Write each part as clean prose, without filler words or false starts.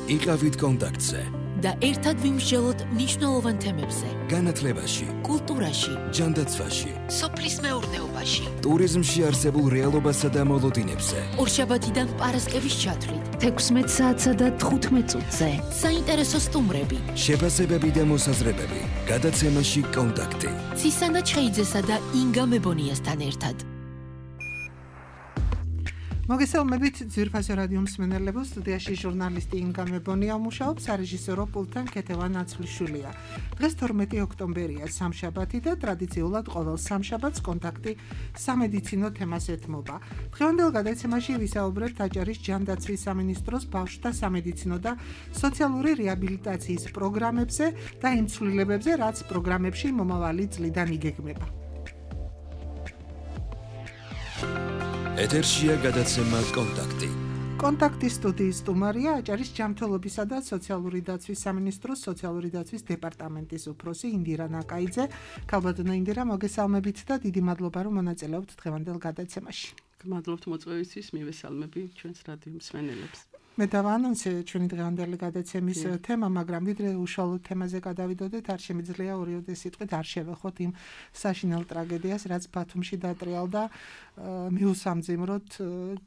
იყავით კონტაქტზე და ერთად ვიმსჯელოთ მნიშვნელოვან თემებზე. განათლებაში, კულტურაში, ჯანდაცვაში, სოფლის მეურნეობაში, ტურიზმში არსებულ რეალობასა და მოლოდინებზე. ორშაბათიდან პარასკევის ჩათვლით, 16 საათსა და 15 წუთზე. საინტერესო სტუმრები, შეფასებები და მოსაზრებები. გადაცემაში კონტაქტი. ცისანა ჩხეიძესა და ინგა მებონიასთან ერთად. მოგესალმებით ძვირფასო რადიო მსმენელებო, სტუდიაში ჟურნალისტი ინგა მებონია მუშაობს, სარეჟისორო პულტთან ქეთევან აცვლიშვილია. დღეს 12 ოქტომბერია, სამშაბათი და ტრადიციულად ყოველ სამშაბათს კონტაქტი სამედიცინო თემას ეთმობა. დღევანდელ გადაცემაში ვისაუბრებთ აჭარის ჯანდაცვის სამინისტროს ბავშვთა სამედიცინო და სოციალური რეაბილიტაციის პროგრამებზე და იმ ცვლილებებზე, რაც პროგრამებში მომავალი წლიდან იგეგმება. ეთერშია გადაცემა კონტაქტი. კონტაქტის სტუდიის სტუმარია აჭარის ჯანმრთელობისა და სოციალური დაცვის სამინისტროს სოციალური დაცვის დეპარტამენტის უფროსი ინდირა ნაკაიძე. ქალბატონო ინდირა, მოგესალმებით და დიდი მადლობა, რომ მონაწილეობთ დღევანდელ გადაცემაში. გმადლობთ მოწვევისთვის, მივესალმები ჩვენს რადიო მსმენელებს. მე დავანონსე ჩვენი დღევანდელი გადაცემის თემა, მაგრამ ვიდრე უშუალოდ თემაზე გადავიდოდეთ, არ შემიძლია ორიოდე სიტყვით არ შევეხოთ იმ საშინელ ტრაგედიას, რაც ბათუმში დატრიალდა, მიუსამძიმროთ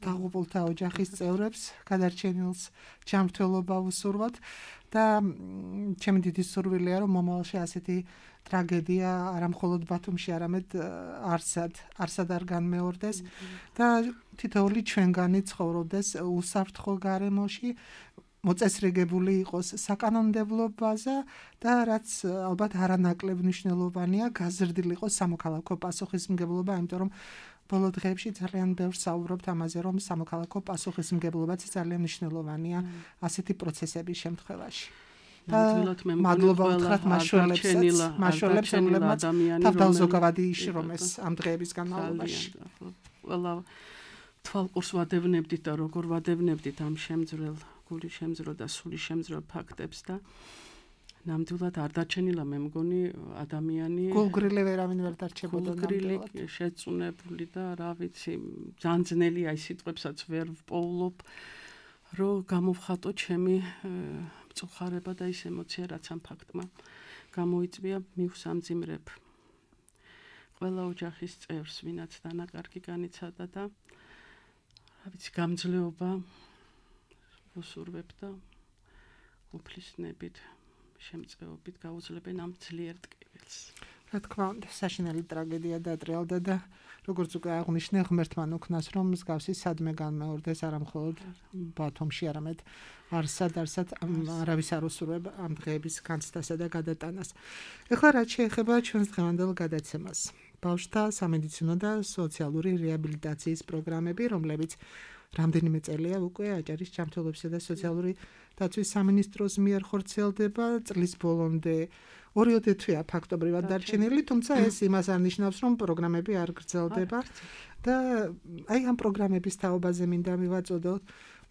დაღუპულთა ოჯახის წევრებს, გადარჩენილს ჯანმრთელობა უსურვოთ და ჩემი დიდი სურვილია, რომ მომავალში ასეთი ტრაგედია არა მხოლოდ ბათუმში, არამედ არსად არ განმეორდეს და თითოეული ჩვენგანი ცხოვრობდეს უსაფრთხო გარემოში, მოწესრიგებული იყოს საკანონმდებლო ბაზა და რაც ალბათ არანაკლებ მნიშვნელოვანია, გაზრდილი იყოს სამოქალაქო პასუხისმგებლობა, იმიტომ რომ ბოლო დღეებში ძალიან ბევრს საუბრობთ ამაზე, რომ სამოქალაქო პასუხისმგებლობაც ძალიან მნიშვნელოვანია ასეთი პროცესების შემთხვევაში. მადლობა უთხრათ მაშველებს, რომლებმაც თავდაუზოგავადი იშრომეს ამ დღეების განმავლობაში. ყველა თვალყურს ვადევნებდით და როგორ ვადევნებდით ამ შემძვრელ, გული შემძრო და სული შემძრო ფაქტებს და ნამდვილად არ დარჩენილა მე მგონი ადამიანი გულგრილი ვერავინ ვერ დარჩებოდა ნამდვილად შეწუნებული და რა ვიცი ძალიან ძნელია ის სიტყვებსაც ვერ ვპოულობ რომ გამოვხატო ჩემი მწუხარება და ის ემოცია რაც ამ ფაქტმა გამოიწვია მივსამძიმრებ ყველა ოჯახის წევრს ვინაც დანაკარგი განიცადა და რა ვიცი გამძლეობა ვუსურვებ და უფლისნებით შემწეობით გაუძლებენ ამ ძლიერ ტკივილს. რა თქმა უნდა, საშინელი ტრაგედია დატრიალდა და როგორც უკვე აღნიშნე, ღმერთმა უქნას, რომ მსგავსი სადმე განმეორდეს არა მხოლოდ ბათუმში, არამედ არსად არავის არ უსურვებ ამ დღეების განცდასა და გადატანას. ეხლა რაც შეეხება ჩვენს დღევანდელ გადაცემას, ბავშვთა სამედიცინო და სოციალური რეაბილიტაციის პროგრამები, რომლებიც რამდენიმე წელია უკვე აჭარის ჯანმრთელობისა და სოციალური დაცვის სამინისტროს მიერ ხორციელდება წლის ბოლომდე. ორიოდე თვეა ფაქტობრივად დარჩენილი, თუმცა ეს იმას არ ნიშნავს, რომ პროგრამები არ გრძელდება და აი ამ პროგრამების თაობაზე მინდა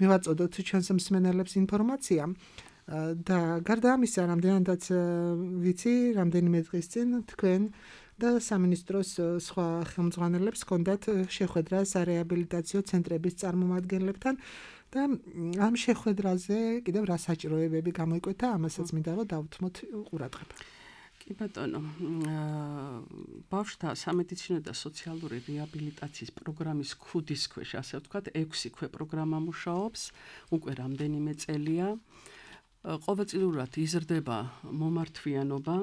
მივაწოდოთ ჩვენს მსმენელებს ინფორმაცია და გარდა ამისა, რამდენადაც ვიცი, რამდენიმე დღის წინ თქვენ და სამინისტროს სხვა ხელმძღვანელებს ჰქონდათ შეხვედრა სარეაბილიტაციო ცენტრების წარმომადგენლებთან და ამ შეხვედრაზე კიდევ რა საჭიროებები გამოიკვეთა, ამასაც მინდა რომ დავუთმოთ ყურადღება. კი ბატონო, ბავშვთა სამედიცინო და სოციალური რეაბილიტაციის პროგრამის ქუდის ქვეშ, ასე ვთქვათ, 6 ქვეპროგრამა მუშაობს, უკვე რამდენიმე წელია. ყოველწლიურად იზრდება მომართვიანობა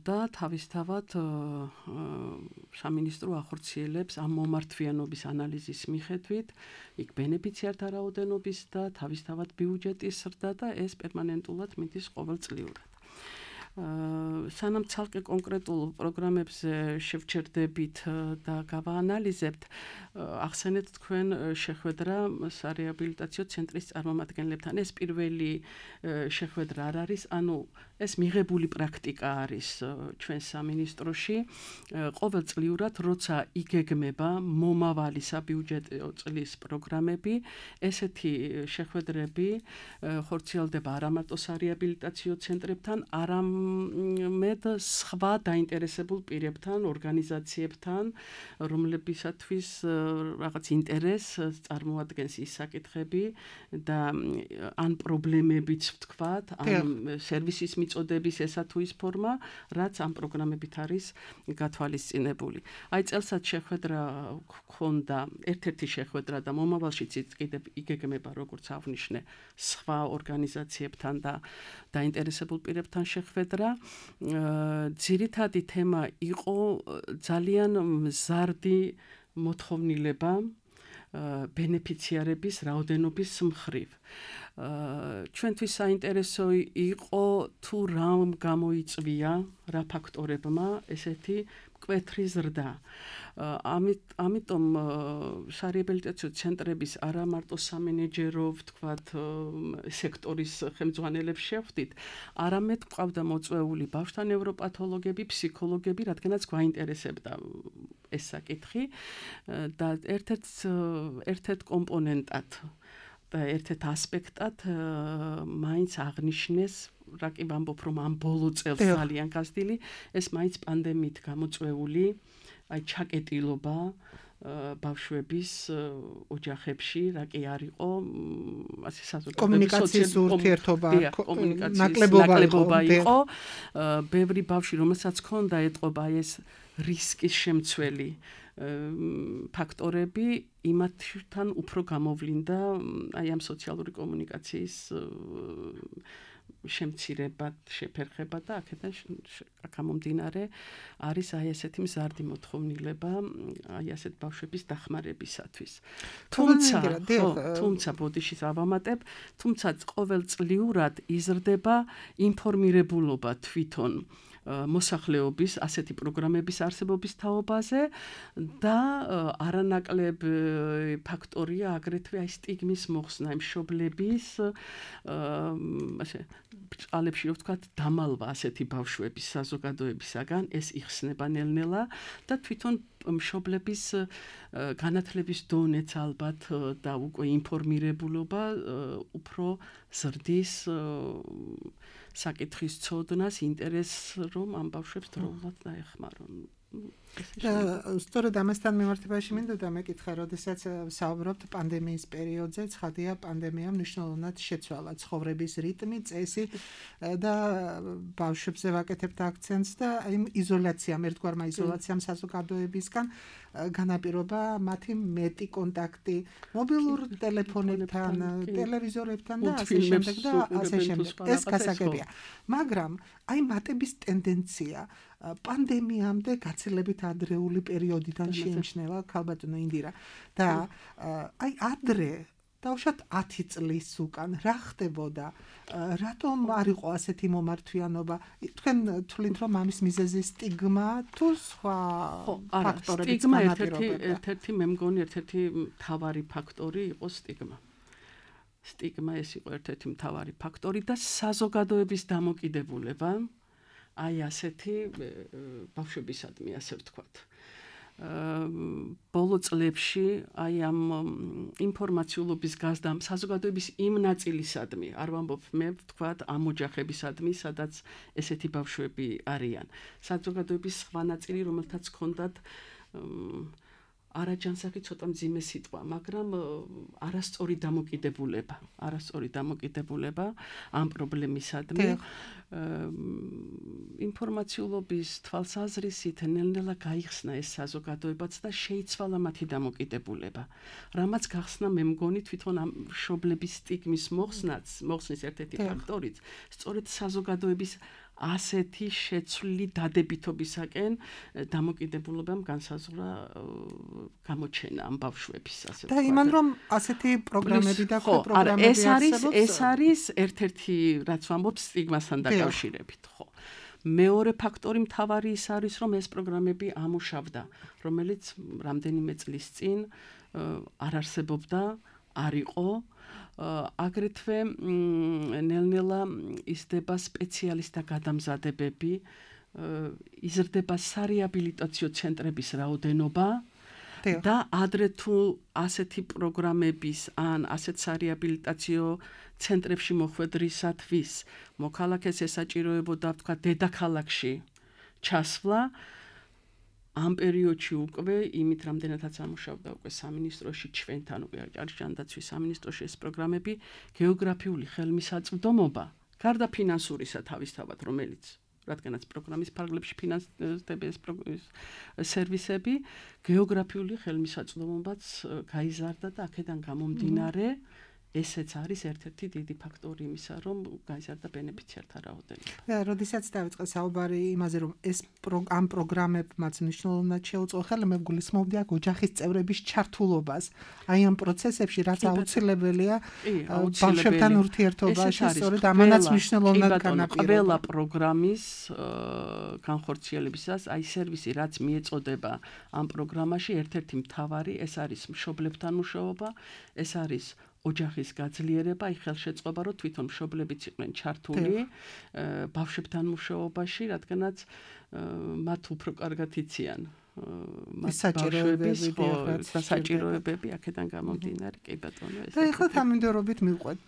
და თავისთავად სამინისტრო ახორციელებს ამ მომართვიანობის ანალიზის მიხედვით იქ ბენეფიციართა რაოდენობის და თავისთავად ბიუჯეტის ზრდა და ეს პერმანენტულად მიდის ყოველწლიურად. სანამ ცალკე კონკრეტულ პროგრამებზე შევჩერდებით და გავაანალიზებთ, ახსენეთ თქვენ შეხვედრა სარეაბილიტაციო ცენტრის წარმომადგენლებთან. ეს პირველი შეხვედრა არ არის, ანუ ეს მიღებული პრაქტიკა არის ჩვენ სამინისტროში. ყოველწლიურად, როცა იგეგმება მომავალი საბიუჯეტო წლის პროგრამები, ესეთი შეხვედრები ხორციელდება არა მარტო სარეაბილიტაციო ცენტრებთან, არამედ მე სხვა დაინტერესებულ პირებთან, ორგანიზაციებთან, რომლებისათვის რაღაც ინტერესს წარმოადგენს ის საკითხები და ან პრობლემებიც ვთქვათ, ან სერვისის მიწოდების ესა თუ ის ფორმა, რაც ამ პროგრამებით არის გათვალისწინებული. აი წელსაც შეხვედრა გქონდა, ერთ-ერთი შეხვედრა და მომავალშიც კიდევ იგეგმება, როგორც აღნიშნე, სხვა ორგანიზაციებთან და დაინტერესებულ პირებთან შეხვედრა. ძირითადი თემა იყო ძალიან მზარდი მოთხოვნილება ბენეფიციარების რაოდენობის მხრივ. ჩვენთვის საინტერესო იყო თუ რა გამოიწვია, რა ფაქტორებმა ესეთი მკვეთრი ზრდა. ამიტომ სარეაბილიტაციო ცენტრების არა მარტო სამენეჯერო, ვთქვათ, სექტორის ხელმძღვანელებს შევხვდით, არამედ გვყავდა მოწვეული ბავშვთა ნევროპათოლოგები, ფსიქოლოგები, რადგანაც გვაინტერესებდა ეს საკითხი და ერთ-ერთ კომპონენტად და ერთ-ერთ ასპექტად მაინც აღნიშნეს, რა კი ვამბობ, რომ ამ ბოლო წელს ძალიან გაზრდილი, ეს მაინც პანდემიით გამოწვეული აი ჩაკეტილობა ბავშვების ოჯახებში, რა კი არ იყო, ასე საზოგადოების კომუნიკაციის ურთიერთობა, ნაკლებობა იყო. ბევრი ბავშვი, რომელსაც ჰქონდა ეტყობა ეს რისკის შემცველი ფაქტორები, იმათთან უფრო გამოვლინდა აი ამ სოციალური კომუნიკაციის შემცირება, შეფერხება და აქედან გამომდინარე არის აი ესეთი მზარდი მოთხოვნილება აი ასეთ ბავშვების დახმარებისათვის. თუმცა ბოდიში ავამატებ, თუმცა ყოველწლიურად იზრდება ინფორმირებულობა თვითონ მოსახლეობის ასეთი პროგრამების არსებობის თაობაზე და არანაკლებ ფაქტორია აგრეთვე აი სტიგმის მოხსნა, მშობლების ასე ბჭყალებში რო ვთქვათ დამალვა ასეთი ბავშვების საზოგადოებისაგან, ეს იხსნება ნელ-ნელა და თვითონ მშობლების განათლების დონეც ალბათ და უკვე ინფორმირებულობა უფრო ზრდის საკითხის ცოდნას, ინტერესს, რომ ამ ბავშვებს დროულად დაეხმარონ. სწორედ ამასთან მიმართებაში მინდოდა მეკითხა, როდესაც საუბრობთ პანდემიის პერიოდზე, ცხადია პანდემიამ მნიშვნელოვნად შეცვალა ცხოვრების რიტმი, წესი და ბავშვებზე ვაკეთებთ აქცენტს და იმ იზოლაციამ, ერთგვარმა იზოლაციამ საზოგადოებისგან განაპირობა მათი მეტი კონტაქტი მობილურ ტელეფონებთან, ტელევიზორებთან და ასე შემდეგ და ასე შემდეგ. ეს გასაგებია. მაგრამ აი მატების ტენდენცია პანდემიამდე გაცილებით ადრეული პერიოდიდან შეიმჩნევა, ქალბატონო ინდირა. და აი ადრე დავუშვათ 10 წლის უკან რა ხდებოდა? რატომ არ იყო ასეთი მომართვიანობა? თქვენ თვლით, რომ ამის მიზეზი სტიგმა თუ სხვა ფაქტორებიც განაპირობებდა? ერთ-ერთი მე მგონი ერთ-ერთი მთავარი ფაქტორი იყო სტიგმა. სტიგმა ეს იყო ერთ-ერთი მთავარი ფაქტორი და საზოგადოების დამოკიდებულება აი ასეთი ბავშვებისადმი, ასე ვთქვათ. ბოლო წლებში აი ამ ინფორმაციულობის გაზრდამ საზოგადოების იმ ნაწილისადმი, არ ვამბობ მე ვთქვათ ამ ოჯახებისადმი, სადაც ესეთი ბავშვები არიან. საზოგადოების სხვა ნაწილი, რომელთაც ჰქონდათ არაჯანსაღი ცოტა მძიმე სიტყვა, მაგრამ არასწორი დამოკიდებულება ამ პრობლემისადმი. ინფორმაციულობის თვალსაზრისით ნელ-ნელა გაიხსნა ეს საზოგადოებაც და შეიცვალა მათი დამოკიდებულება. რამაც გახსნა მე მგონი თვითონ ამ მშობლების სტიგმის მოხსნის ერთ-ერთი ფაქტორიც, სწორედ საზოგადოების ასეთი შეცვლილი დადებითობისაკენ დამოკიდებულებამ განსაზღვრა გამოჩენა ამ ბავშვების, ასე ვთქვათ. და იმან რომ ასეთი პროგრამები და პროგრამები არსებობს, ეს არის ერთ-ერთი, რაც ვამბობ სტიგმასთან დაკავშირებით, ხო. მეორე ფაქტორი მთავარი ის არის, რომ ეს პროგრამები ამუშავდა, რომელიც რამდენიმე წლის წინ არ არსებობდა, არ იყო. აგრეთვე ნელ-ნელა იზრდება სპეციალისტთა გადამზადებები, იზრდება სარეაბილიტაციო ცენტრების რაოდენობა და ადრე თუ ასეთი პროგრამების ან ასეთ სარეაბილიტაციო ცენტრებში მოხვედრისათვის მოქალაქეს ესაჭიროებოდა თქვა დედაქალაქში ჩასვლა ამ პერიოდში უკვე იმით რამდენადაც ამუშავდა უკვე სამინისტროში ჩვენთან უკვე ჯანდაცვის სამინისტროში ეს პროგრამები გეოგრაფიული ხელმისაწვდომობა გარდა ფინანსურისა თავისთავად რომელიც რადგანაც პროგრამის ფარგლებში ფინანსდება ეს სერვისები გეოგრაფიული ხელმისაწვდომობაც გაიზარდა და აქედან გამომდინარე ესეც არის ერთ-ერთი დიდი ფაქტორი იმისა, რომ გაიზარდა ბენეფიციართა რაოდენობა. და როდესაც დაიწყო საუბარი იმაზე, რომ ეს ამ პროგრამებმაც მნიშვნელოვნად შეუწყო ხელი, მე გულისხმობდი აქ ოჯახის წევრების ჩართულობას. აი ამ პროცესებში რაც აუცილებელია ბავშვებთან ურთიერთობაში, სწორედ ამანაც მნიშვნელოვნად განაპირობა. ყველა პროგრამის განხორციელებისას აი სერვისი რაც მიეწოდება ამ პროგრამაში ერთ-ერთი მთავარი ეს არის მშობლებთან მუშაობა, ეს არის ოჯახის გაძლიერება, აი ხელშეწყობა, რომ თვითონ მშობლებიც იყვნენ ჩართული ბავშვებთან მუშაობაში, რადგანაც მათ უფრო კარგად იციან საჭიროებები აქედან გამომდინარე, კი ბატონო ეს. და ეხლა თანმიმდევრობით მივყვეთ,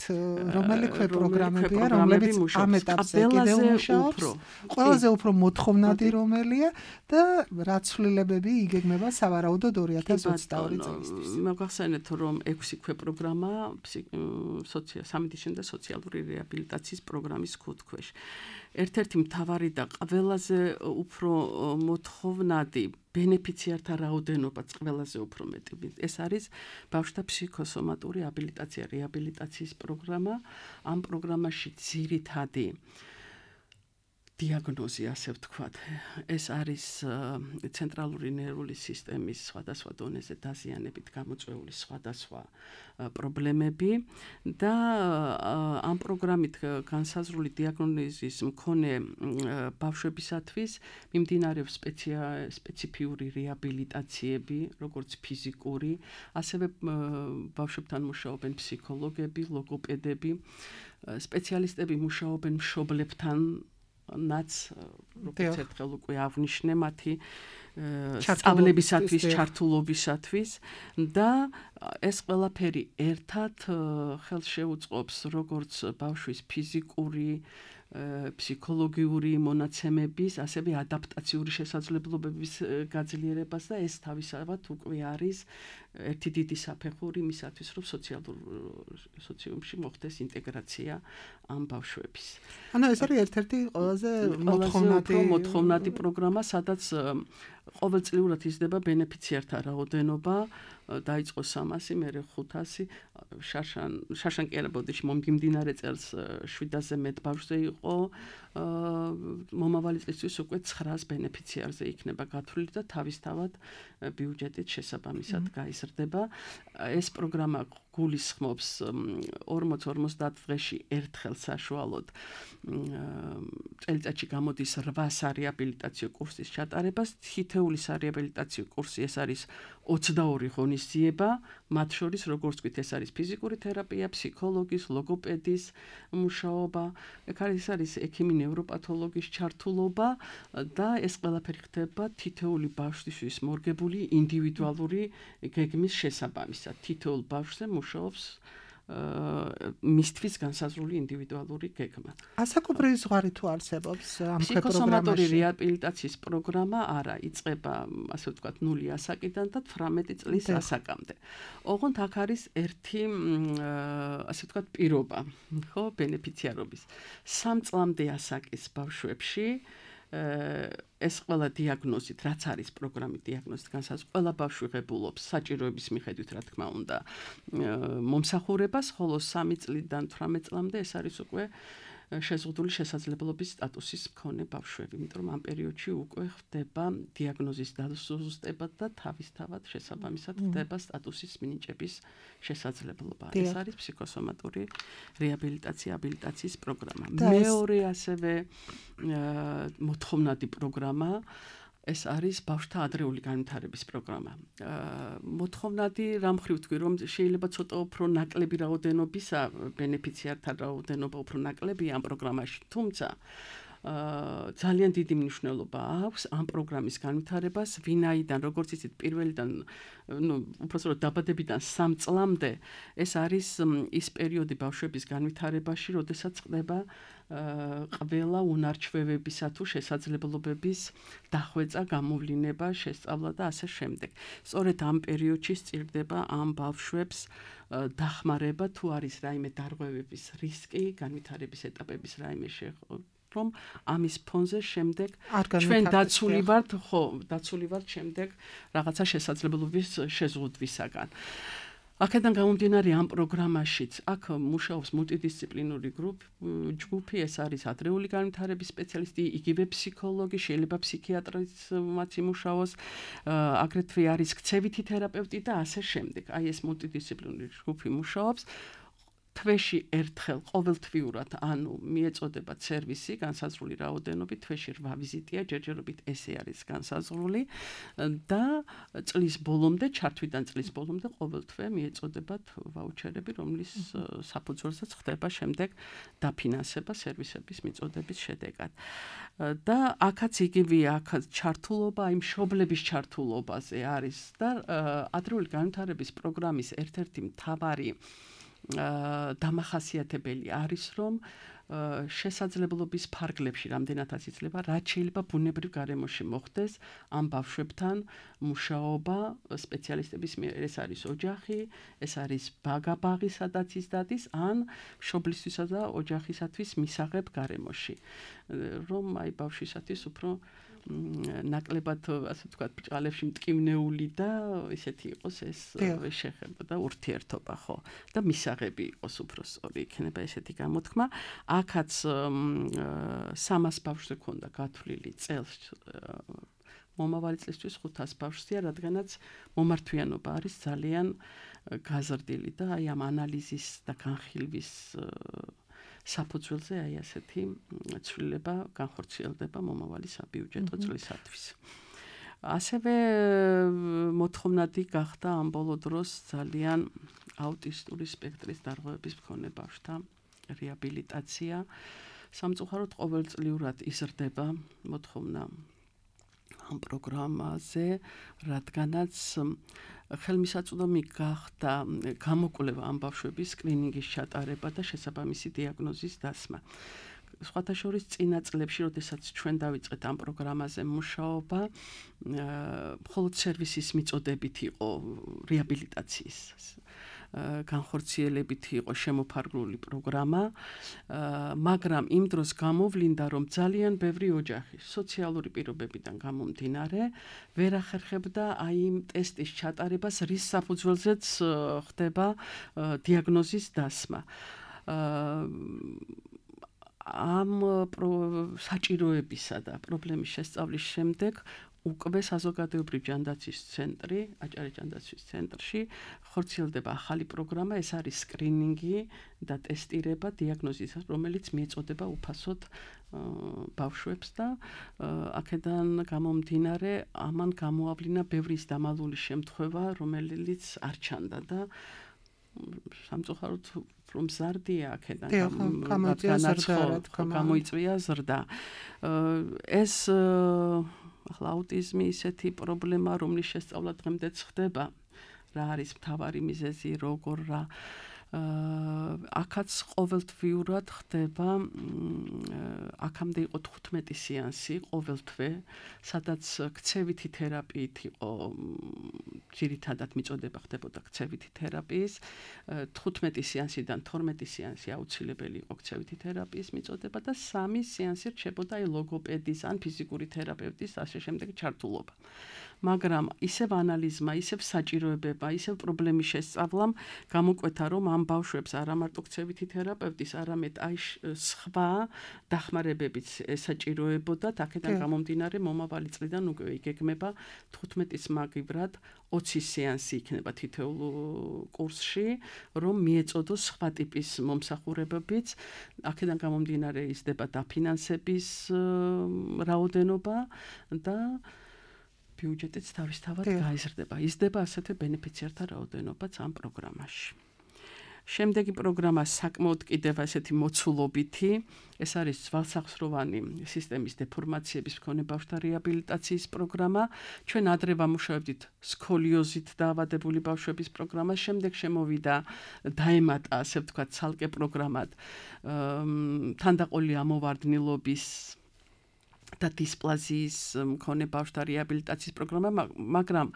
რომელი პროგრამებია, რომლებიც ამ ეტაპზე კიდევ მუშაობს, ყველაზე უფრო მოთხოვნადი რომელია და რა ცვლილებები იგეგმება სავარაუდოდ 2022 წელისთვის. მოგახსენეთ, რომ 6 ქვე პროგრამა სამედიცინო და სოციალური რეაბილიტაციის პროგრამის ქუთქვეშ. ერთ-ერთი მთავარი და ყველაზე უფრო მოთხოვნადი ბენეფიციართა რაოდენობაც ყველაზე უფრო მეტი. ეს არის ბავშვთა ფსიქოსომატური აბილიტაცია, რეაბილიტაციის პროგრამა. ამ პროგრამაში ძირითადი დიაგნოზი, ასე ვთქვათ, ეს არის ცენტრალური ნერვული სისტემის სხვადასხვა დონეზე დაზიანებით გამოწვეული სხვადასხვა პრობლემები და ამ პროგრამით განსაზღვრული დიაგნოზის მქონე ბავშვებისათვის მიმდინარეობს სპეციფიური რეაბილიტაციები, როგორც ფიზიკური, ასევე ბავშვებთან მუშაობენ ფსიქოლოგები, ლოგოპედები, სპეციალისტები მუშაობენ მშობლებთან ნაც როგორც ერთხელ უკვე აღნიშნე მათი სწავლებისათვის, ჩართულობისათვის და ეს ყველაფერი ერთად ხელს შეუწყობს როგორც ბავშვის ფიზიკური, ფსიქოლოგიური მონაცემების, ასევე ადაპტაციური შესაძლებლობების გაძლიერებას და ეს თავისთავად უკვე არის ერთი დიდი საფეხური იმისათვის, რომ სოციუმში მოხდეს ინტეგრაცია ამ ბავშვების. ანუ ეს არის ერთ-ერთი ყველაზე მოთხოვნადი პროგრამა, სადაც ყოველწლიურად იზრდება ბენეფიციართა რაოდენობა, დაიწყო 300, მერე 500, შარშან კი არა ბოდიში მომდინარე წელს 700-ზე მეტ ბავშვზე იყო, მომავალი წლისთვის უკვე 900 ბენეფიციარზე იქნება გათვლილი და თავისთავად ბიუჯეტით შესაბამისად გაიზრდება. ეს პროგრამა გულისხმობს 40-50 დღეში ერთხელ საშუალოდ წელიწადში გამოდის 8 სარეაბილიტაციო კურსის ჩატარებას. თითეული სარეაბილიტაციო კურსი ეს არის 22 ღონისძიება, მათ შორის როგორც ვთქვით, ეს არის ფიზიკური თერაპია, ფსიქოლოგის, ლოგოპედის მუშაობა, ეს არის ექიმი ნევროპათოლოგის ჩართულობა და ეს ყველაფერი ხდება თითეული ბავშვის მორგებული ინდივიდუალური გეგმის შესაბამისად. თითოეულ ბავშვზე მუშაობს მისთვის განსაზღვრული ინდივიდუალური გეგმა. ასაკობრივი ზღვარი თუ არსებობს ამ პროგრამაში? ფსიქოსომატური რეაბილიტაციის პროგრამა არა, იწყება, ასე ვთქვათ, 0 ასაკიდან და 18 წლის ასაკამდე. ოღონდ აქ არის ერთი, ასე ვთქვათ, პირობა, ხო, ბენეფიციარობის. 3 წლამდე ასაკის ბავშვებში ეს ყველა დიაგნოზით, რაც არის პროგრამით დიაგნოზით განსაზღვრული, ყველა ბავშვი ღებულობს საჭიროების მიხედვით, რა თქმა უნდა, მომსახურებას, ხოლო 3 წლიდან 18 წლამდე ეს არის უკვე შეზღუდული შესაძლებლობის სტატუსის მქონე ბავშვები, იმიტომ რომ ამ პერიოდში უკვე ხდება დიაგნოზის დასუსტება და თავისთავად შესაბამისად ხდება სტატუსის მინიჭების შესაძლებლობა. ეს არის ფსიქოსომატური რეაბილიტაცია, აბილიტაციის პროგრამა. მეორე ასევე მოთხოვნადი პროგრამა ეს არის ბავშვთა ადრეული განვითარების პროგრამა. მოთხოვნადი რამ ხრივ თქვი, რომ შეიძლება ცოტა უფრო ნაკლები რაოდენობისა, ბენეფიციართა რაოდენობა უფრო ნაკლებია ამ პროგრამაში, თუმცა ძალიან დიდი მნიშვნელობა აქვს ამ პროგრამის განვითარებას, ვინაიდან როგორც იცით პირველიდან უბრალოდ დაბადებიდან 3 წლამდე ეს არის ის პერიოდი ბავშვების განვითარებაში, როდესაც ხდება ყველა უნარჩვევებისა თუ შესაძლებლობების დახვეწა, გამოვლინება, შესწავლა და ასე შემდეგ. სწორედ ამ პერიოდში სწირდება ამ ბავშვებს დახმარება თუ არის რაიმე დარღვევების რისკი, განვითარების ეტაპების რაიმე რომ ამის ფონზე შემდეგ ჩვენ დაცული ვართ შემდეგ რაღაცა შესაძლებლობის შეზღუდვისაგან. აქედან გამომდინარე ამ პროგრამაშიც აქ მუშაობს მულტიდისციპლინური ჯგუფი, ეს არის ადრეული განვითარების სპეციალისტი, იგივე ფსიქოლოგი, შეიძლება ფსიქიატრიც იმუშაოს, აგრეთვე არის ქცევითი თერაპევტი და ასე შემდეგ. აი ეს მულტიდისციპლინური ჯგუფი მუშაობს. თვეში ერთხელ ყოველთვიურად, ანუ მიეწოდება სერვისი, განსაზღვრული რაოდენობით, თვეში 8 ვიზიტია, ჯერჯერობით ესე არის განსაზღვრული და წლის ბოლომდე, ჩართვიდან წლის ბოლომდე ყოველთვე მიეწოდებათ ვაუჩერები, რომლის საფუძველზეც ხდება შემდეგ დაფინანსება სერვისების მიწოდების შედეგად. და აქაც იგივეა, აქაც ჩართულობა, აი მშობლების ჩართულობაზე არის და ადრეული განვითარების პროგრამის ერთ-ერთი მთავარი დამახასიათებელი არის, რომ შესაძლებლობის ფარგლებში რამდენადაც იცლება, რაც შეიძლება ბუნებრივ გარემოში მოხდეს ამ ბავშვებთან მუშაობა სპეციალისტების მიერ. ეს არის ოჯახი, ეს არის ბაღი, სადაც ის დადის, ან მშობლისთვისა და ოჯახისათვის მისაღებ გარემოში. რომ აი ბავშვისათვის უფრო ნაკლებად, ასე ვთქვათ, ბრჭყალებში მტკივნეული და ისეთი იყოს ეს შეხება და ურთიერთობა, ხო? და მისაღები იყოს უფრო სწორი იქნება ესეთი გამოთქმა. აქაც 300 ბავშვზე ქონდა გათვლილი წელს მომავალი წლისთვის 500 ბავშვზეა, რადგანაც მომართვიანობა არის ძალიან გაზრდილი და აი ამ ანალიზის და განხილვის საფუძველზე აი ასეთი ცვლილება განხორციელდება მომავალი საბიუჯეტო წლისათვის. ასევე მოთხოვნადი გახდა ამ ბოლო დროს ძალიან აუტისტური სპექტრის დარღვევების მქონე ბავშვთა რეაბილიტაცია. სამწუხაროდ ყოველწლიურად იზრდება მოთხოვნა ამ პროგრამაზე, რადგანაც ხელმისაწვდომი გახდა გამოკვლევა ამ ბავშვების სკრინინგის ჩატარება და შესაბამისი დიაგნოზის დასმა. სხვათა შორის წინა წლებში, როდესაც ჩვენ დავიწყეთ ამ პროგრამაზე მუშაობა, მხოლოდ სერვისის მიწოდებით იყო რეაბილიტაციის განხორციელებით იყო შემოფარგლული პროგრამა, მაგრამ იმ დროს გამოვლინდა, რომ ძალიან ბევრი ოჯახი სოციალური პირობებიდან გამომდინარე ვერ ახერხებდა აი იმ ტესტის ჩატარებას, რის საფუძველზეც ხდება დიაგნოზის დასმა. ამ საჭიროებისა და პრობლემის შესწავლის შემდეგ უკვე საზოგადოებრივი ჯანდაცვის ცენტრი, აჭარის ჯანდაცვის ცენტრში ხორციელდება ახალი პროგრამა, ეს არის სკრინინგი და ტესტირება დიაგნოზის, რომელიც მიეწოდება უფასოდ ბავშვებს და აქედან გამომდინარე ამან გამოავლინა ბევრი დამალული შემთხვევა, რომელიც არ ჩანდა და სამწუხაროდ რომ ზარდია აქედან გამოიწვია ზრდა. ეს ახლა აუტიზმი ისეთი პრობლემა, რომლის შესწავლა დღემდეც ხდება, რა არის მთავარი მიზეზი, როგორ რა აქაც ყოველთვიურად ხდება, აქამდე იყო 15 სეანსი ყოველთვე, სადაც ქცევითი თერაპიით იყო ძირითადად მიწოდება ხდებოდა ქცევითი თერაპიის, 15 სეანსიდან 12 სეანსი აუცილებელი იყო ქცევითი თერაპიის მიწოდება და 3 სეანსი რჩებოდა აი ლოგოპედის ან ფიზიკური თერაპევტის ასე შემდეგ ჩართულობა. მაგრამ ისევ ანალიზმა, ისევ საჭიროებება, ისევ პრობლემის შესწავლამ გამოკვეთა, რომ ამ ბავშვებს არა მარტო ქცევითი თერაპევტის, არამედ აი სხვა დახმარებებიც ესაჭიროებოდათ. აქედან გამომდინარე მომავალი წლიდან უკვე იგეგმება 15-ის მაგივრად 20 სეანსი იქნება თითოეულ კურსში, რომ მიეწოდოს სხვა ტიპის მომსახურებებიც. აქედან გამომდინარე იზრდება დაფინანსების რაოდენობა და ბიუჯეტიც თავისთავად გაიზრდება. იზრდება ასეთვე ბენეფიციართა რაოდენობაც ამ პროგრამაში. შემდეგი პროგრამა საკმაოდ კიდევ ესეთი მოცულობითი, ეს არის ძვალსახსროვანი სისტემის დეფორმაციების მქონე ბავშვთა რეაბილიტაციის პროგრამა. ჩვენ ადრე ვამუშავებდით სქოლიოზით დაავადებული ბავშვების პროგრამას, შემდეგ შემოვიდა დაემატა, ასე ვთქვათ, ცალკე პროგრამად თანდაყოლი ამოვარდნილობის და დისპლაზიის მქონე ბავშვთა რეაბილიტაციის პროგრამა, მაგრამ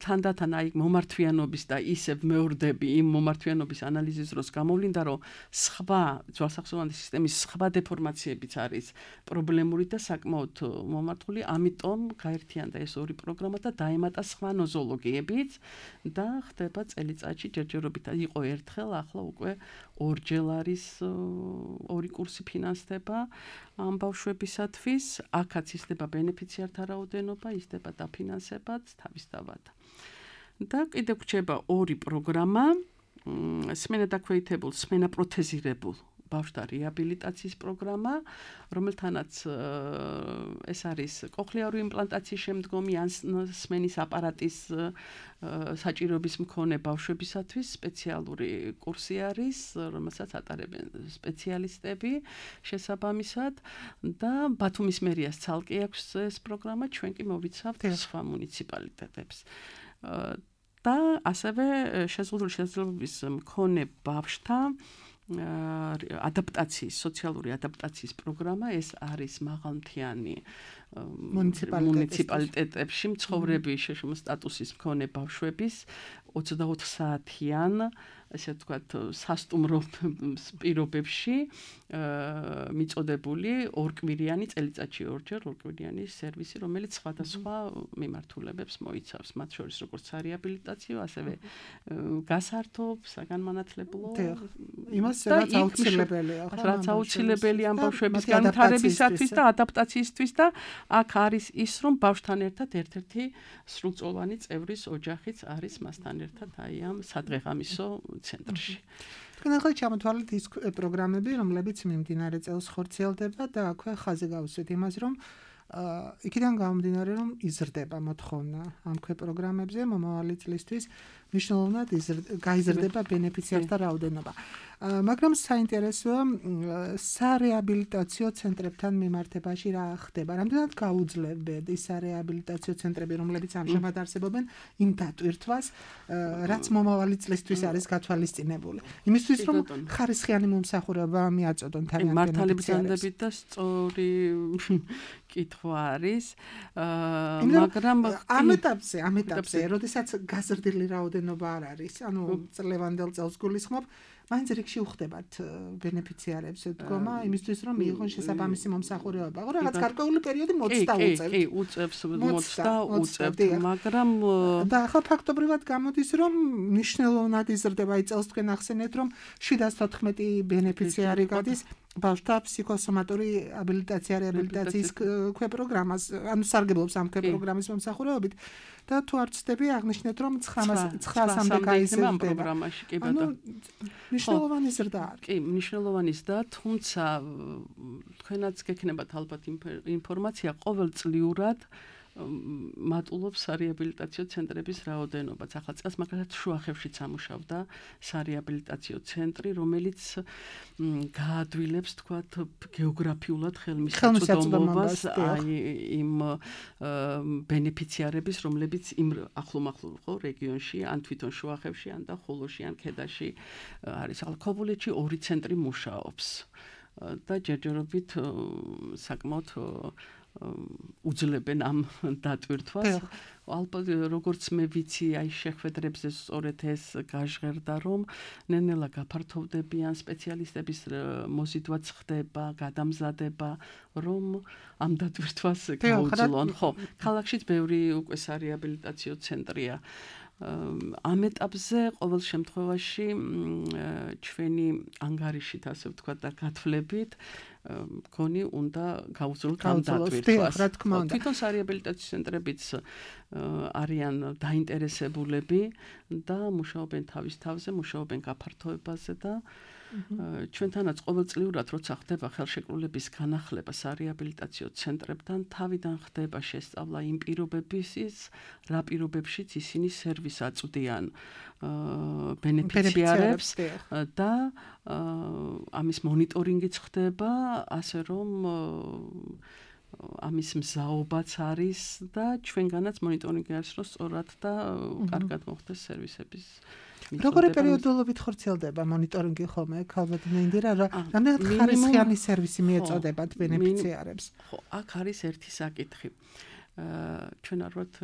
თანდათან აი მომართვიანობის და ისევ მეორდები იმ მომართვიანობის ანალიზის დროს გამოვლინდა, რომ სხვა ძვალსახსროვანი სისტემის სხვა დეფორმაციებიც არის პრობლემური და საკმაოდ მომართული, ამიტომ გაერთიანდა ეს ორი პროგრამა და დაემატა სხვა ნოზოლოგიებიც და ხდება წელიწადში ჯერჯერობით. იყო ერთხელ, ახლა უკვე ორჯერ არის ორი კურსი ფინანსდება ამ ბავშვებისათვის. აქაც ისდება ბენეფიციართა რაოდენობა, ისდება დაფინანსებაც თავისთავად. და კიდევ გვჭირდება ორი პროგრამა, სმენა-დაქვეითებულ, სმენა-პროთეზირებულ ბავშვთა რეაბილიტაციის პროგრამა, რომელთანაც ეს არის კოხლიარული იმპლანტაციის შემდგომი ან სმენის აპარატის საჭიროების მქონე ბავშვებისათვის სპეციალური კურსი არის, რომელსაც ატარებენ სპეციალისტები შესაბამისად და ბათუმის მერიას ცალკე აქვს ეს პროგრამა, ჩვენ კი მოვიცავთ სხვა მუნიციპალიტეტებს. და ასევე შეზღუდული შესაძლებლობის მქონე ბავშვთა ადაპტაციის, სოციალური ადაპტაციის პროგრამა, ეს არის მაღალმთიანი მუნიციპალიტეტებში მცხოვრები სტატუსის მქონე ბავშვების 24 საათიან, ასე ვთქვათ, სასტუმრო პირობებში მიწოდებული ორკვირიანი წელიწადში ორჯერ ორკვირიანი სერვისი, რომელიც სხვადასხვა მიმართულებებს მოიცავს, მათ შორის როგორც სარეაბილიტაციო, ასევე გასართობ, საგანმანათლებლო, იმას რაც აუცილებელია, რაც აუცილებელი ამ ბავშვების განვითარებისათვის და ადაპტაციისთვის და აქ არის ის, რომ ბავშვთან ერთად ერთ-ერთი სრულწლოვანი წევრის ოჯახიც არის მასთან ერთად აი ამ სადღეღამისო ცენტრში. თქვენ ახლა ჩამოთვალეთ ის პროგრამები, რომლებიც მიმდინარე წელს ხორციელდება და აქვე ხაზი გავუსვით იმას, რომ იქიდან გამომდინარე, რომ იზრდება მოთხოვნა ამ პროგრამებზე მომავალი წლისთვის, მნიშვნელოვნად გაიზრდება ბენეფიციართა რაოდენობა. მაგრამ საინტერესოა სარეაბილიტაციო ცენტრებთან მიმართებაში რა ხდება. რამდენად გაუძლებთ ის სარეაბილიტაციო ცენტრები, რომლებიც ამჟამად არსებობენ, იმ დატვირთვას, რაც მომავალი წლისთვის არის გათვალისწინებული. იმისთვის, რომ ხარისხიანი მომსახურება მიაწოდონ თავიანთ მართალიბრძანდებით და სწორი კითხვა არის, მაგრამ ამ ეტაპზე, როდესაც გაზრდილი რაოდენობა არ არის, ანუ წლევანდელ წელს გულისხმობ, მაინც რიგში უხდებათ ბენეფიციარებს დგომა იმისთვის, რომ მიიღონ შესაბამისი მომსახურება. ხო, რაღაც გარკვეული პერიოდი მოწდა უწევთ. კი, უწევთ, მაგრამ და ახლა ფაქტობრივად გამოდის, რომ მნიშვნელოვნად იზრდება, აი წელს თქვენ ახსენეთ, რომ 714 ბენეფიციარი გადის ბავშვთა ფსიქოსომატური აბილიტაციის პროგრამას, ანუ სარგებლობს ამ პროგრამის მომსახურებით და თუ არ ვცდები, აღნიშნეთ, რომ 900-მდე გაიზრდება ამ პროგრამაში, კი ბატონო. მნიშვნელოვანი ზრდა არის. კი, მნიშვნელოვანი ზრდა, თუმცა თქვენაც გექნებათ ალბათ ინფორმაცია ყოველწლიურად მატულობს სარეაბილიტაციო ცენტრების რაოდენობას. ახლა წელს მაგალითად შუახევშიც ამუშავდა სარეაბილიტაციო ცენტრი, რომელიც გაადვილებს, თქვათ, გეოგრაფიულად ხელმისაწვდომობას აი იმ ბენეფიციარების, რომლებიც იმ ახლომახლო ხო რეგიონში, ან თვითონ შუახევში, ან და ხულოში, ან ქედაში არის. ალქობულეთში ორი ცენტრი მუშაობს და ჯერჯერობით საკმაოდ უძლებენ ამ დატვირთვას. ალბათ როგორც მე ვიცი, აი შეხვედრებზე სწორედ ეს გაჟღერდა, რომ ნელ-ნელა გაფართოვდებიან სპეციალისტების მოზიდვაც ხდება, გადამზადება, რომ ამ დატვირთვას გაუძლონ. ხო, ქალაქშიც ბევრი უკვე სარეაბილიტაციო ცენტრია. ამ ეტაპზე ყოველ შემთხვევაში ჩვენი ანგარიშით, ასე ვთქვათ, და გათვლებით მგონი უნდა გაუძლოთ ამ დატვირთვას. თვითონ სარეაბილიტაციო ცენტრებიც არიან დაინტერესებულები და მუშაობენ თავის თავზე, მუშაობენ გაფართოებაზე და ჩვენთანაც ყოველწლიურად როცა ხდება ხელშეკრულების განახლება სარეაბილიტაციო ცენტრებთან, თავიდან ხდება შესწავლა იმ პირობებისის, რა პირობებშიც ისინი სერვისს აწვდიან ბენეფიციარებს და ამის მონიტორინგიც ხდება, ასე რომ ამის მზაობაც არის და ჩვენგანაც მონიტორინგი არის, რომ სწორად და კარგად მოხდეს სერვისების როგორი პერიოდულობით ხორციელდება მონიტორინგი ხოლმე? ალბათ მინდირა რამდენად ხარისხიანი სერვისი მიეწოდებათ ბენეფიციარებს? ხო, აქ არის ერთი საკითხი. ჩვენ არ ვართ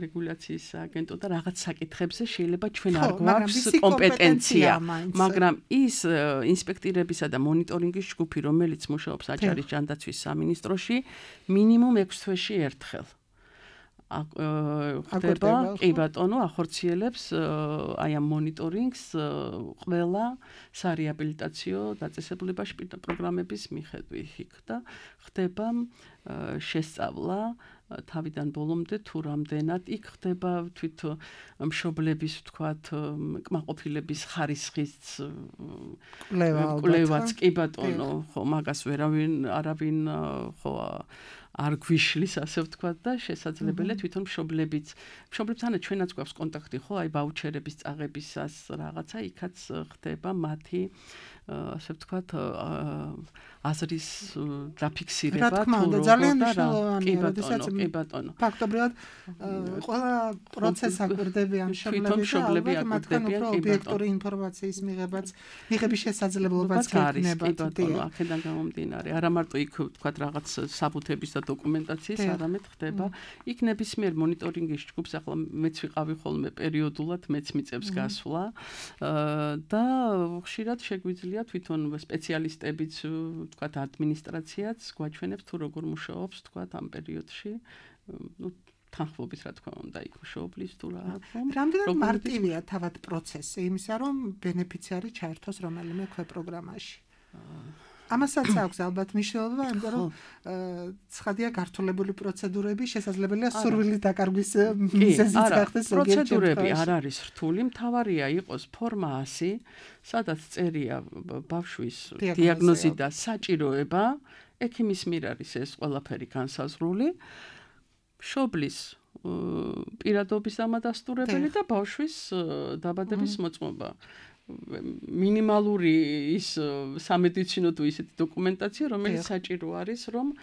რეგულაციის აგენტო და რაღაც საკითხებზე შეიძლება ჩვენ არ გვაქვს კომპეტენცია, მაგრამ ის ინსპექტირებისა და მონიტორინგის ჯგუფი, რომელიც მუშაობს აჭარის ჯანდაცვის სამინისტროში, მინიმუმ 6 თვეში ერთხელ ხდება, კი ბატონო, ახორციელებს აი ამ მონიტორინგს ყველა სარეაბილიტაციო დაწესებულებაში პროგრამების მიხედვით და ხდება შესწავლა თავიდან ბოლომდე თუ რამდენად იქ ხდება თვით მშობლების ვთქვათ კმაყოფილების ხარისხის კვლევაც, კი ბატონო, ხო, მაგას არავინ ხო არ გვიშლის, ასე ვთქვათ და შესაძლებელია თვითონ მშობლებთან ჩვენაც გვაქვს კონტაქტი, ხო, აი ვაუჩერების წაღებისას რაღაცა იქაც ხდება მათი ასე ვთქვათ აზრის დაფიქსირება რა თქმა უნდა, ძალიან მნიშვნელოვანია, როდესაც კი ბატონო. ფაქტობრივად ყველა პროცესს აკვირდებიან მშობლები და მათგან უფრო ობიექტური ინფორმაციის მიღების შესაძლებლობაც გექნება. კი ბატონო, აქედან გამომდინარე, არა მარტო იქ ვთქვათ რაღაც საბუთების და დოკუმენტაციის, არამედ ხდება იქ ნებისმიერ მონიტორინგის ჯგუფს, ახლა მეც ვიყავი ხოლმე პერიოდულად, მეც მიწევს გასვლა და ხშირად შეგვიძლია თვითონ სპეციალისტებიც ვთქვათ ადმინისტრაციაც გვაჩვენებს თუ როგორ მუშაობს ვთქვათ ამ პერიოდში თანხმობის რა თქმა უნდა იქ მუშაობლის თუ რა რამდენად მარტივია თავად პროცესი იმისა რომ ბენეფიციარი ჩაერთოს რომელიმე ქვეპროგრამაში ამასაც აქვს ალბათ მნიშვნელობა იმიტომ რომ ცხადია გართულებული პროცედურები შესაძლებელია სურვილის დაკარგვის მიზეზიც გახდეს პროცედურები არ არის რთული მთავარია იყოს ფორმა 100 სადაც წერია ბავშვის დიაგნოზი და საჭიროება ექიმის მიერ არის ეს ყველაფერი განსაზღვრული მშობლის პირადობის ამადასტურებელი და ბავშვის დაბადების მოწმობა მინიმალური ის სამედიცინო თუ ისეთი დოკუმენტაცია რომელიც საჭირო არის რომ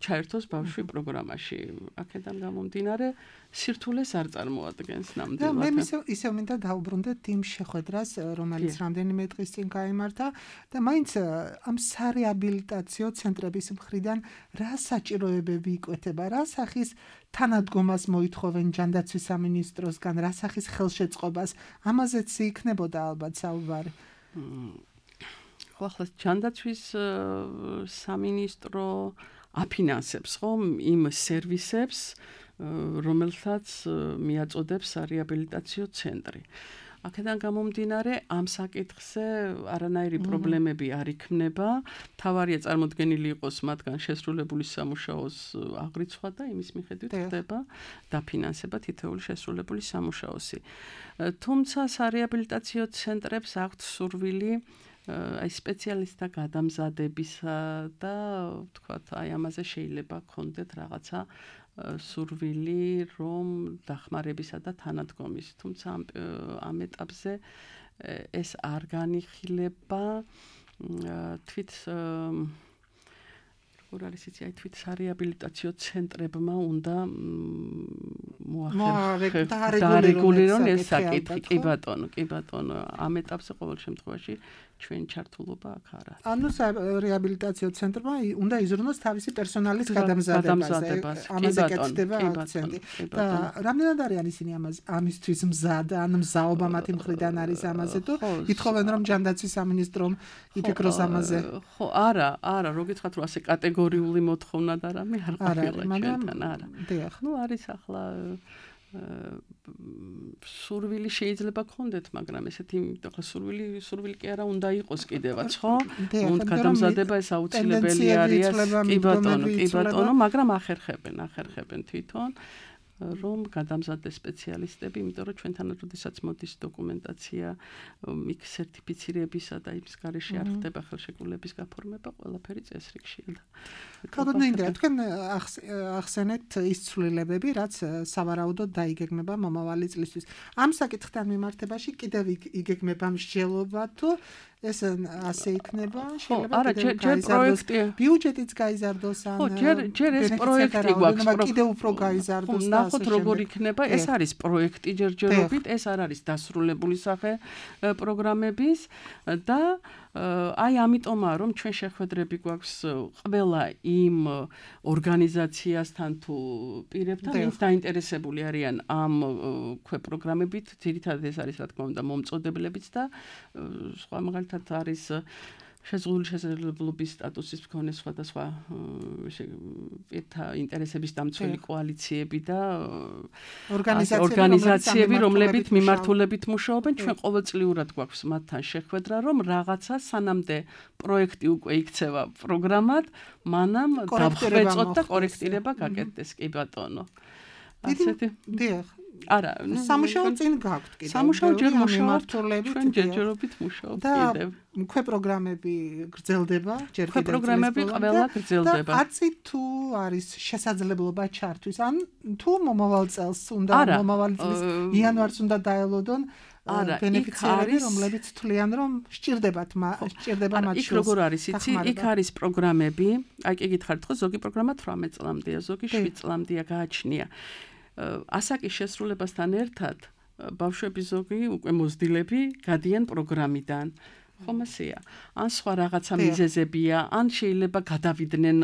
ჩაერთოს ბავშვი პროგრამაში აქედან გამომდინარე სირთულეს არ წარმოადგენს ნამდვილად და მე ისევ მინდა დაუბრუნდეთ იმ შეხვედრას რომელიც რამდენიმე დღის წინ გაიმართა და მაინც ამ სარეაბილიტაციო ცენტრების მხრიდან რა საჭიროებები იკვეთება რა სახის თანადგომას მოითხოვენ ჯანდაცვის სამინისტროსგან რა სახის ხელშეწყობას ამაზეც იქნებოდა ალბათ საუბარი ხო ახლა ჯანდაცვის სამინისტრო აფინანსებს ხომ იმ სერვისებს რომელთაც მიაწოდებს სარეაბილიტაციო ცენტრი. აქედან გამომდინარე ამ საკითხზე არანაირი პრობლემები არ იქნება. თავარია წარმოდგენილი იყოს მათგან შესრულებული სამუშაოს აღრიცხვა და იმის მიხედვით ხდება დაფინანსება თითოეული შესრულებული სამუშაოსი. თუმცა სარეაბილიტაციო ცენტრებს აქვთ სურვილი აი სპეციალისტთა გადამზადებისა და ვთქვათ აი ამაზე შეიძლება გქონდეთ რაღაცა სურვილი რომ დახმარებისა და თანადგომის თუმცა ამ ეტაპზე ეს არ განიხილება თვით როგორ არის იცი აი თვით სარეაბილიტაციო ცენტრებმა უნდა დაარეგულირონ ეს საკითხი კი ბატონო ამ ეტაპზე ყოველ შემთხვევაში ჩვენ ჩართულობა აქ არ არის. ანუ რეაბილიტაციო ცენტრმა უნდა იზრუნოს თავისი პერსონალის გადამზადებაზე. ამაზე კეთდება აქცენტი. და რამდენად არიან ისინი ამისთვის მზად, ან მზაობა მათი მხრიდან არის ამაზე თუ ითხოვენ რომ ჯანდაცვის სამინისტრომ იფიქროს ამაზე? ხო, არა, რო გითხრათ რომ ასე კატეგორიული მოთხოვნა და რამე არ ყოფილა ჩვენთან, არა. ნუ არის ახლა სურვილი შეიძლება გქონდეთ, მაგრამ ესეთი ახლა სურვილი კი არა უნდა იყოს კიდევაც, ხო? უნდა გადამზადება ეს აუცილებელი არის. კი ბატონო, მაგრამ ახერხებენ თვითონ. რომ გადამზადდეს სპეციალისტები, იმიტომ რომ ჩვენთან როდესაც მოდის დოკუმენტაცია, იქ სერტიფიცირებისა და იმის გარეშე არ ხდება ხელშეკრულების გაფორმება, ყველაფერი წესრიგშია და ქალბატონო ინდრა, თქვენ ახსენეთ ის ცვლილებები, რაც სავარაუდოდ დაიგეგმება მომავალი წლისთვის. ამ საკითხთან მიმართებაში კიდევ იგეგმება მსჯელობა თუ ეს ასე იქნება, შეიძლება ჯერ პროექტი ბიუჯეტიც გაიზარდოს ან ჯერ ეს პროექტი გვაქვს, კიდევ უფრო გაიზარდოს და ნახოთ როგორ იქნება, ეს არის პროექტი ჯერჯერობით, ეს არ არის დასრულებული სახე პროგრამების და აი ამიტომაა რომ ჩვენ შეხვედრები გვაქვს ყველა იმ ორგანიზაციასთან თუ პირებთან, ვინც დაინტერესებული არიან ამ პროგრამებით, ძირითადად ეს არის რა თქმა უნდა მომწოდებლებიც და სხვა მაგალითად არის შეზღუდული შესაძლებლობის სტატუსის მქონე სხვადასხვა პირთა ინტერესების დამცველი კოალიციები და ორგანიზაციები, რომლებიც მიმართულებით მუშაობენ, ჩვენ ყოველწლიურად გვაქვს მათთან შეხვედრა, რომ რაღაცა სანამდე პროექტი უკვე იქცევა პროგრამად, მანამ დავხვეწოთ და კორექტირება გაკეთდეს, კი ბატონო. ასეთი არა, სამუშაო წინ გაქვთ კიდევ. სამუშაო ჯერ მუშაობთ, ჩვენ ჯერჯერობით მუშაობთ კიდევ. და პროგრამები გრძელდება, ჯერ კიდევ პროგრამები ყველა გრძელდება. და არც თუ არის შესაძლებლობა ჩართვის, ან თუ მომავალ წელს უნდა მომავალი წლის იანვარს უნდა დაელოდონ ბენეფიციარები, რომლებიც თვლიან, რომ სჭირდება მათ იქ როგორ არის, იცი, იქ არის პროგრამები, აი კი გითხარით ხო, ზოგი პროგრამა 18 წლამდეა, ზოგი 7 წლამდეა გააჩნია. ასაკის შესრულებასთან ერთად ბავშვები ზოგი უკვე მოზრდილები გადიან პროგრამიდან. ხომ ასეა? ან სხვა რაღაცა მიზეზებია, ან შეიძლება გადავიდნენ,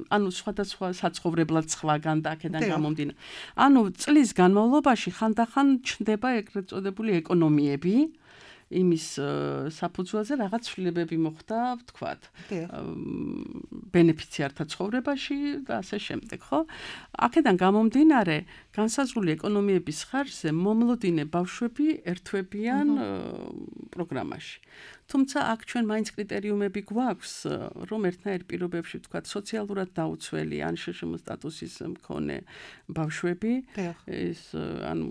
ანუ სხვადასხვა საცხოვრებლად სხვაგან და აქედან გამომდინარე. ანუ წლის განმავლობაში ხანდახან ჩნდება ეგრეთ წოდებული ეკონომიები. იმის საფუძველზე რაღაც ცვლილებები მოხდა, ვთქვათ, ბენეფიციართა ცხოვრებაში და ასე შემდეგ, ხო? აქედან გამომდინარე, განსაზღვრული ეკონომიების ხარჯზე მომლოდინე ბავშვები ერთვებიან პროგრამაში. თუმცა აქ ჩვენ მაინც კრიტერიუმები გვაქვს, რომ ერთნაირ პირობებში, ვთქვათ, სოციალურად დაუცველი ან შშმ სტატუსის მქონე ბავშვები, ეს ანუ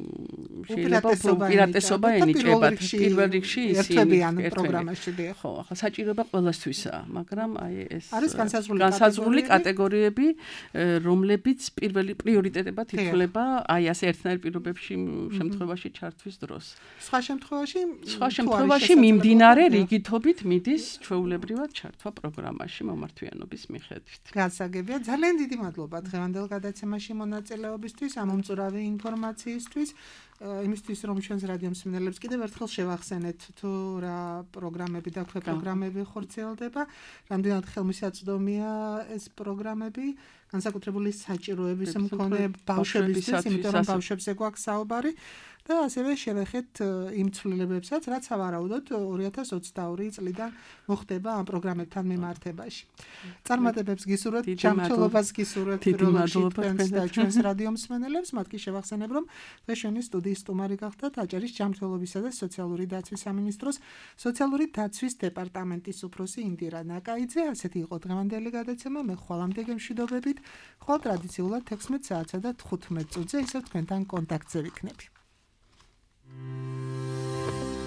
შეიძლება უპირატესობა ენიჭებათ პირველ რიგში ერთვებიან პროგრამაში. ხო, ახლა საჭიროება ყველასთვისაა, მაგრამ აი ეს არის განსაზღვრული კატეგორიები, რომლებიც პირველი პრიორიტეტებად ითვლება აი ასე ერთნაირ პირობებში შემთხვევაში ჩართვის დროს. სხვა შემთხვევაში მიმდინარე რიგითობით მიდის ჩვეულებრივად ჩართვა პროგრამაში მომართვიანობის მიხედვით. გასაგებია, ძალიან დიდი მადლობა დღევანდელ გადაცემაში მონაწილეობისთვის, ამომწურავი ინფორმაციისთვის, იმისთვის რომ ჩვენს რადიო მსმენელებს კიდევ ერთხელ შევახსენეთ თუ რა პროგრამები და პროგრამები ხორციელდება, რამდენად ხელმისაწვდომია ეს პროგრამები, განსაკუთრებული საჭიროების მქონე ბავშვებისთვის, იმიტომ რომ ბავშვებზე გვაქვს საუბარი. და ასევე შევეხეთ იმ ცვლილებებსაც, რაც სავარაუდოდ 2022 წლიდან მოხდება ამ პროგრამებთან მიმართებაში. წარმატებებს გისურვებთ, ჯანმრთელობას გისურვებთ პირველში და ჩვენს რადიო მსმენელებს, მათ კი შევახსენებ, რომ დღევანდელი სტუდიის სტუმარი გახდათ აჭარის ჯანმრთელობისა და სოციალური დაცვის სამინისტროს სოციალური დაცვის დეპარტამენტის უფროსი ინდირა ნაკაიძე. ასეთი იყო დღევანდელი გადაცემა, მე ხვალამდე გემშვიდობებით, ხვალ ტრადიციულად 16 საათსა და 15 წუთზე ისევ თქვენთან კონტაქტზე ვიქნები.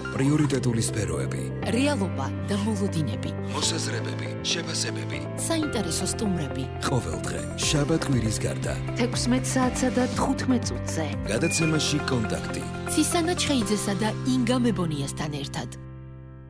პრიორიტეტული სფეროები, რეალობა და მოლოდინები, მოსაზრებები, შეფასებები, საინტერესო სტუმრები. ყოველდღე, შაბათ-კვირის გარდა, 16 საათსა და 15 წუთზე. გადაცემაში კონტაქტი. ცისანა ჩხეიძესა და ინგა მებონიასთან ერთად.